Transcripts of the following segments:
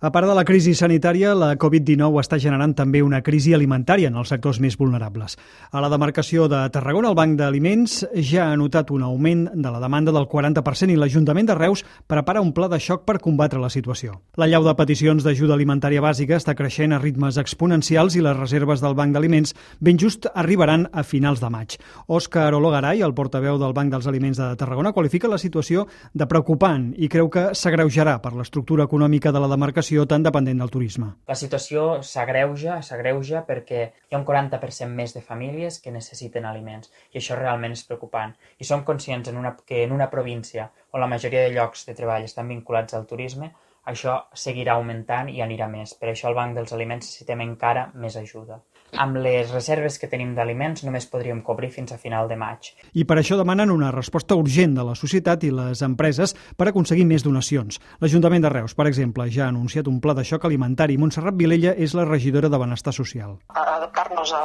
A part de la crisi sanitària, la Covid-19 està generant també una crisi alimentària en els sectors més vulnerables. A la demarcació de Tarragona, el Banc d'Aliments ja ha notat un augment de la demanda del 40% i l'Ajuntament de Reus prepara un pla de xoc per combatre la situació. La llau de peticions d'ajuda alimentària bàsica està creixent a ritmes exponencials i les reserves del Banc d'Aliments ben just arribaran a finals de maig. Òscar Ologaray, el portaveu del Banc dels Aliments de Tarragona, qualifica la situació de preocupant i creu que s'agreujarà per l'estructura econòmica de la demarcació tan dependent del turisme. La situació s'agreuja perquè hi ha un 40% més de famílies que necessiten aliments i això realment és preocupant. I som conscients que en una província on la majoria de llocs de treball estan vinculats al turisme, això seguirà augmentant i anirà més. Per això al Banc dels Aliments necessitem encara més ajuda. Amb les reserves que tenim d'aliments només podríem cobrir fins a final de maig. I per això demanen una resposta urgent de la societat i les empreses per aconseguir més donacions. L'Ajuntament de Reus, per exemple, ja ha anunciat un pla de xoc alimentari. Montserrat Vilella és la regidora de Benestar Social. Adaptar-nos a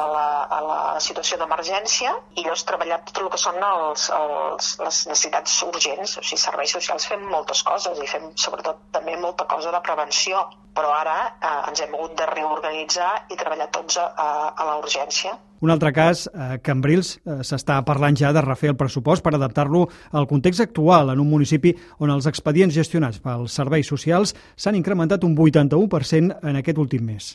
la situació d'emergència i llavors treballar tot el que són les necessitats urgents. O sigui, serveis socials fem moltes coses i fem sobretot també molta cosa de prevenció, però ara ens hem hagut de reorganitzar i treballar tots a la urgència. Un altre cas, a Cambrils s'està parlant ja de refer el pressupost per adaptar-lo al context actual en un municipi on els expedients gestionats pels serveis socials s'han incrementat un 81% en aquest últim mes.